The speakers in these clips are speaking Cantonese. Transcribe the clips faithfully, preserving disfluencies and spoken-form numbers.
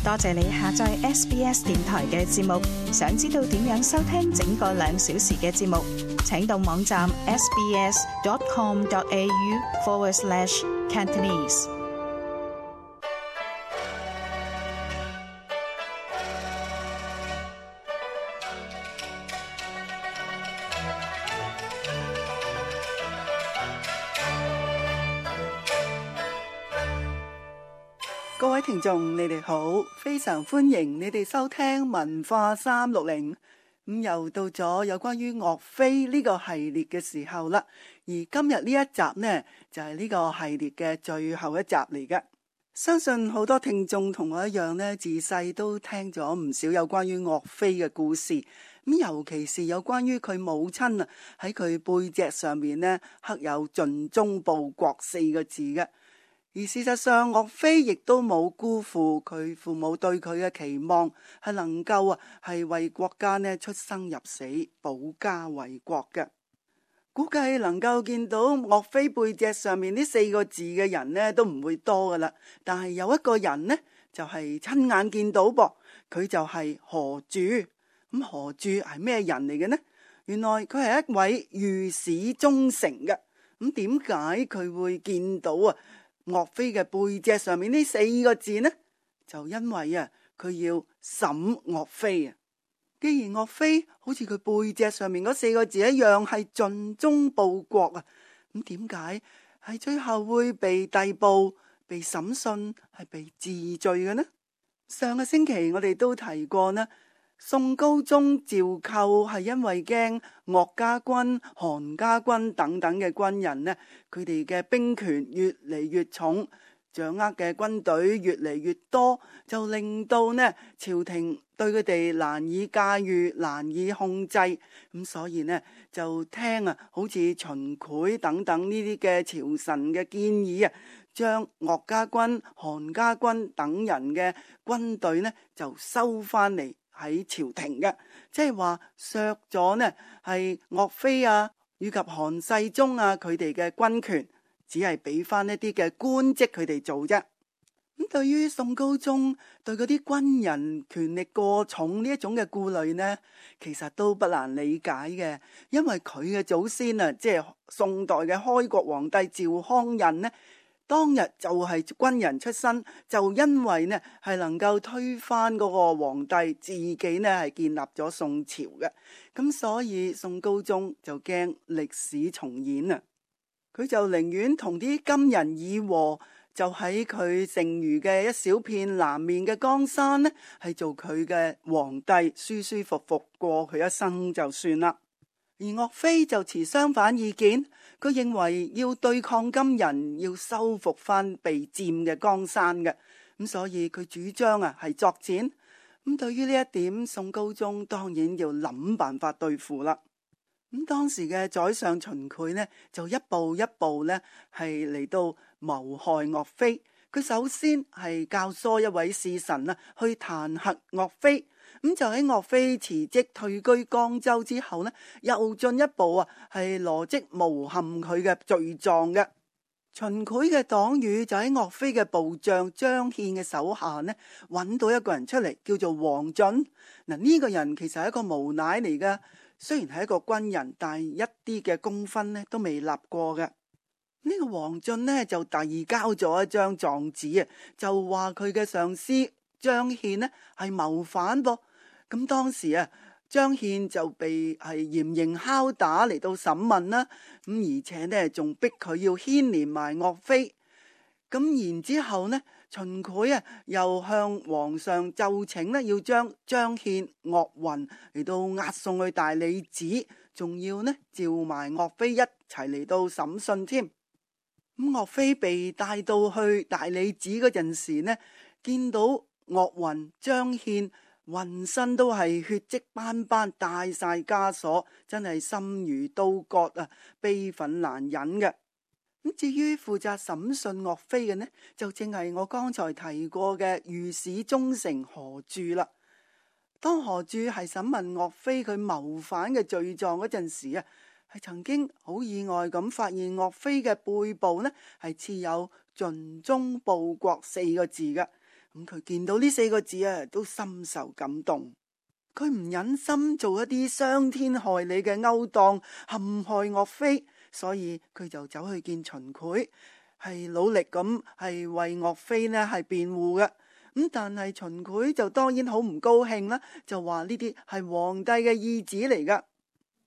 多謝你下載 S B S 電台嘅節目。想知道點樣收聽整個兩小時嘅節目，請到網站 sbs.com.au forward slash Cantonese。各位聽眾，你哋好，非常歡迎你哋收聽文化三六零。咁又到咗有關於岳飛呢個系列嘅時候啦。而今日呢一集呢，就係呢個系列嘅最後一集嚟嘅。相信好多聽眾同我一樣呢，自細都聽咗唔少有關於岳飛嘅故事。咁尤其是有關於佢母親啊，喺佢背脊上面呢，刻有盡忠報國四個字嘅。而事實上，岳飛亦都冇辜負佢父母對佢嘅期望，係能夠啊係為國家呢出生入死，保家衛國嘅。估計能夠見到岳飛背脊上面呢四個字嘅人呢都唔會多噶啦。但係有一個人呢就係親眼見到噃，佢就係何柱。咁何柱係咩人嚟嘅呢？原來佢係一位御史中丞嘅。咁點解佢會見到啊岳飛嘅背脊上面呢四個字呢？就因為啊，佢要審岳飛啊。既然岳飛好似佢背脊上面嗰四個字一樣係盡忠報國啊，咁點解係最後會被逮捕、被審訊、係被治罪嘅呢？上個星期我哋都提過呢，宋高宗趙構係因為驚岳家軍、韓家軍等等嘅軍人呢，佢哋嘅兵權越嚟越重，掌握嘅軍隊越嚟越多，就令到呢朝廷對佢哋難以駕馭、難以控制。咁所以呢就聽啊，好似秦檜等等呢啲嘅朝臣嘅建議啊，將岳家軍、韓家軍等人嘅軍隊呢就收翻嚟喺朝廷嘅，即係話削咗呢係岳飛啊以及韓世忠啊佢哋嘅軍權，只係俾翻一啲嘅官職佢哋做啫。咁對於宋高宗對嗰啲軍人權力過重呢一種嘅顧慮呢，其實都不難理解嘅，因為佢嘅祖先啊，即係宋代嘅開國皇帝趙匡胤呢，當日就係軍人出身，就因為呢係能夠推翻嗰個皇帝，自己呢係建立咗宋朝嘅，咁所以宋高宗就驚歷史重演啊，佢就寧願同啲金人議和，就喺佢剩餘嘅一小片南面嘅江山呢，係做佢嘅皇帝，舒舒服服過佢一生就算啦。而岳飛就持相反意見，佢認為要對抗金人，要收復翻被佔嘅江山嘅，咁所以佢主張啊係作戰。咁對於呢一點，宋高宗當然要諗辦法對付啦。咁當時嘅宰相秦檜呢，就一步一步呢係嚟到謀害岳飛。佢首先係教唆一位使臣啊去彈劾岳飛。咁就喺岳飛辭職退居江州之後呢，又進一步啊係羅織誣陷佢嘅罪狀嘅。秦檜嘅黨羽就喺岳飛嘅部將張憲嘅手下呢，揾到一個人出嚟，叫做王進。嗱，呢個人其實係一個無賴嚟噶，雖然係一個軍人，但係一啲嘅功勳呢都未立過嘅。呢個王進呢就遞交咗一張狀紙啊，就話佢嘅上司張憲呢係謀反噃。咁當時啊，張憲就被係嚴刑拷打嚟到審問啦，咁而且呢仲逼佢要牽連埋岳飛。咁然之後呢，秦檜啊又向皇上奏請呢，要將張憲、岳雲嚟到押送去大理寺，仲要呢召埋岳飛一齊嚟到審訊添。咁岳飛被帶到去大理寺嗰陣時呢，見到岳雲、張憲渾身都係血跡斑斑，帶晒枷鎖，真係心如刀割啊，悲憤難忍嘅。咁至於負責審訊岳飛嘅呢，就正係我剛才提過嘅御史中丞何柱啦。當何柱係審問岳飛佢謀反嘅罪狀嗰陣時啊，係曾經好意外咁發現岳飛嘅背部呢係刺有盡忠報國四個字嘅。咁佢見到呢四個字啊，都深受感動。佢唔忍心做一啲傷天害理嘅勾當，陷害岳飛，所以佢就走去見秦檜，係努力咁係為岳飛呢係辯護嘅。咁但係秦檜就當然好唔高興啦，就話呢啲係皇帝嘅意旨嚟噶。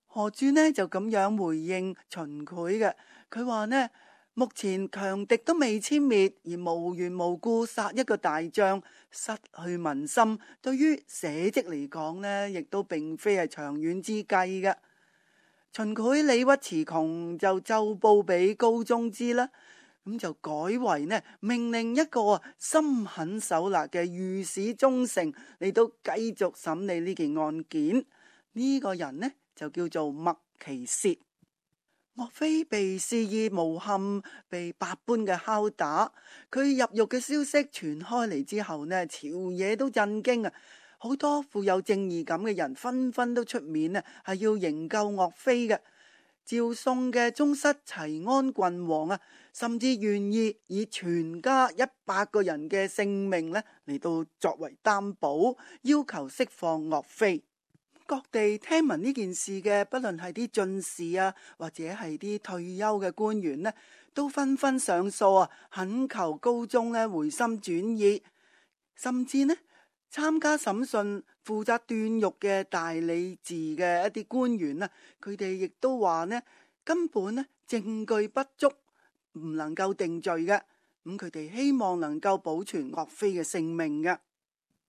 何柱呢就咁樣回應秦檜嘅，佢話呢，目前強敵都未殲滅，而無緣無故殺一個大將，失去民心，對於社稷嚟講呢，亦都並非係長遠之計嘅。秦檜理屈詞窮，就奏報俾高宗知啦。咁就改為呢，命令一個心狠手辣嘅御史中丞嚟到繼續審理呢件案件。呢、這個人呢就叫做麥琪薛。岳飛被肆意誣陷，被百般嘅拷打。佢入獄嘅消息傳開嚟之後呢，朝野都震驚啊！好多富有正義感嘅人紛紛都出面啊，係要營救岳飛嘅。趙宋嘅宗室齊安郡王啊，甚至願意以全家一百個人嘅性命呢嚟到作為擔保，要求釋放岳飛。各地聽聞呢件事嘅，不論係啲進士啊，或者係啲退休嘅官員呢，都紛紛上訴啊，懇求高宗呢回心轉意，甚至呢參加審訊負責斷獄嘅大理寺嘅一啲官員呢，佢哋亦都話呢，根本呢證據不足，唔能夠定罪嘅。咁佢哋希望能夠保存岳飛嘅性命嘅。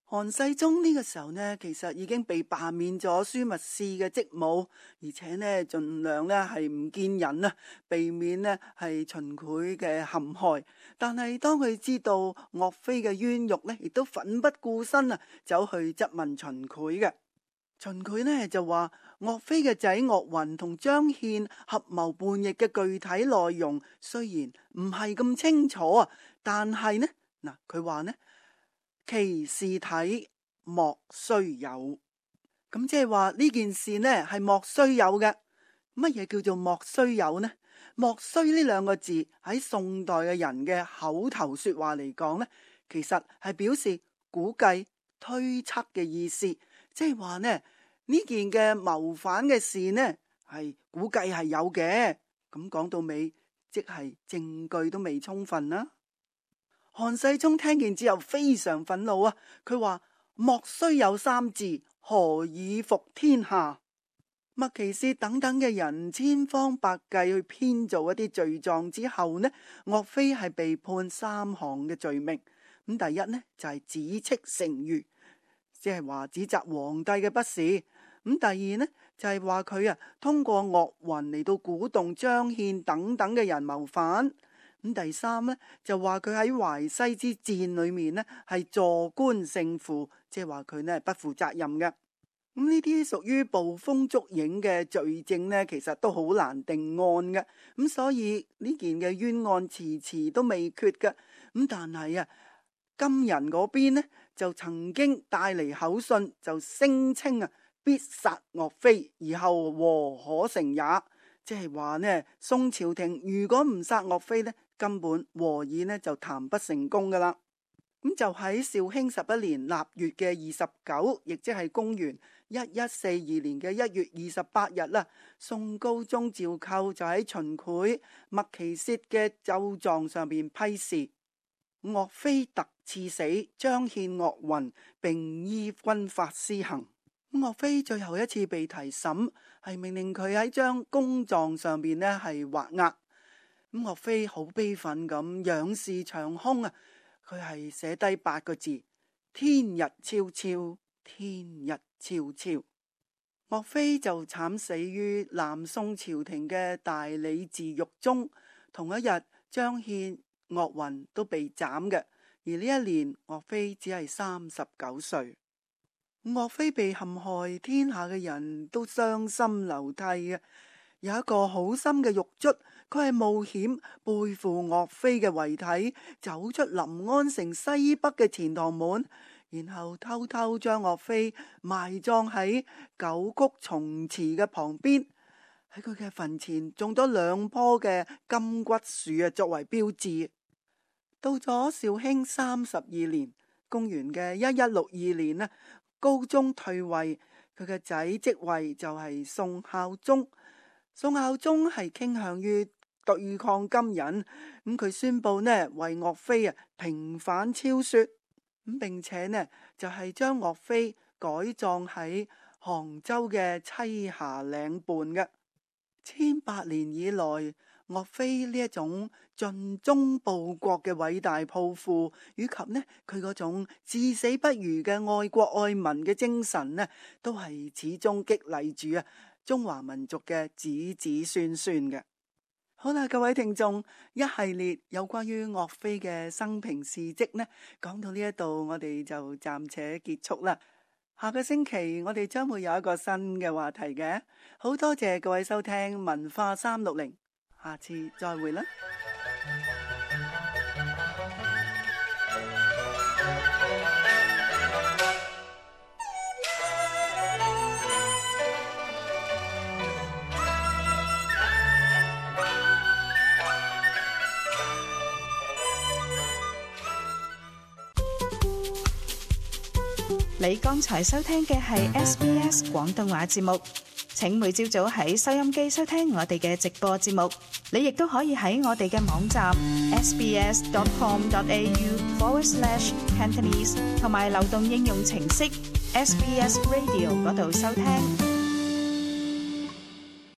韓世忠呢個時候呢，其實已經被罷免咗樞密使嘅職務，而且呢盡量呢係唔見人啊，避免呢係秦檜嘅陷害。但係當佢知道岳飛嘅冤獄呢，亦都奮不顧身啊，走去質問秦檜嘅。秦檜呢就話岳飛嘅仔岳雲同張獻合謀叛逆嘅具體內容雖然唔係咁清楚啊，但係呢嗱佢話呢。其事體莫須有，咁即係話呢件事呢係莫須有嘅。乜嘢叫做莫須有呢？莫須呢兩個字喺宋代嘅人嘅口頭說話嚟講呢，其實係表示估計、推測嘅意思。即係話呢呢件嘅謀反嘅事呢係估計係有嘅。咁講到尾，即係證據都未充分啦。韓世忠聽見之後非常憤怒啊！佢話莫須有三字，何以服天下？麥琪薛等等嘅人千方百計去編造一啲罪狀之後呢，岳飛係被判三項嘅罪名。咁第一呢就係、是、指斥成儒，即係話指責皇帝嘅不是。咁第二呢就係話佢啊通過岳雲嚟到鼓動張獻等等嘅人謀反。咁第三呢，就話佢喺淮西之戰裏面呢係坐觀勝負，即係話佢呢係不負責任嘅。咁呢啲屬於捕風捉影嘅罪證呢，其實都好難定案嘅。咁所以呢件嘅冤案遲遲都未決嘅。咁但係啊，金人嗰邊呢就曾經帶嚟口信，就聲稱啊必殺岳飛，而後和可成也。即係話呢，宋朝廷如果唔殺岳飛呢，根本和議呢就談不成功噶啦。咁就喺紹興十一年臘月嘅二十九，亦即係公元一一四二年嘅一月二十八日啦。宋高宗趙構就喺秦檜、麥琪薛嘅奏狀上邊批示：岳飛特賜死，張獻、岳雲並依軍法施行。岳飛最後一次被提審，係命令佢喺張公狀上邊呢係畫押。咁岳飛好悲憤咁仰視長空啊，佢係寫低八個字：天日昭昭，天日昭昭。岳飛就慘死於南宋朝廷嘅大理寺獄中。同一日，張獻、岳雲都被斬嘅。而呢一年，岳飛只係三十九歲。岳飛被陷害，天下嘅人都傷心流涕嘅。有一個好心嘅獄卒，佢係冒險背負岳飛嘅遺體，走出臨安城西北嘅錢塘門，然後偷偷將岳飛埋葬喺九曲松祠嘅旁邊。喺佢嘅墳前種咗兩棵嘅金骨樹啊，作為標誌。到咗紹興三十二年，公元嘅一一六二年呢，高宗退位，佢嘅仔即位就係宋孝宗。宋孝宗係傾向於對抗金人，咁佢宣布呢為岳飛啊平反超說，咁並且呢就係、是、將岳飛改葬喺杭州嘅棲霞嶺畔嘅。千百年以來，岳飛呢一種盡忠報國嘅偉大抱負，以及呢佢嗰種至死不渝嘅愛國愛民嘅精神呢，都係始終激勵住啊中華民族嘅子子孫孫嘅。好啦，各位聽眾，一系列有關於岳飛嘅生平事蹟呢，講到呢一度，我哋就暫且結束啦。下個星期我哋將會有一個新嘅話題嘅，好多謝各位收聽文化三六零，下次再會啦。你剛才收聽嘅係 S B S 廣東話節目，請每朝早喺收音機收聽我哋嘅直播節目。你亦都可以喺我哋嘅網站 sbs.com.au forward slash Cantonese 同埋流動應用程式 S B S Radio 嗰度收聽。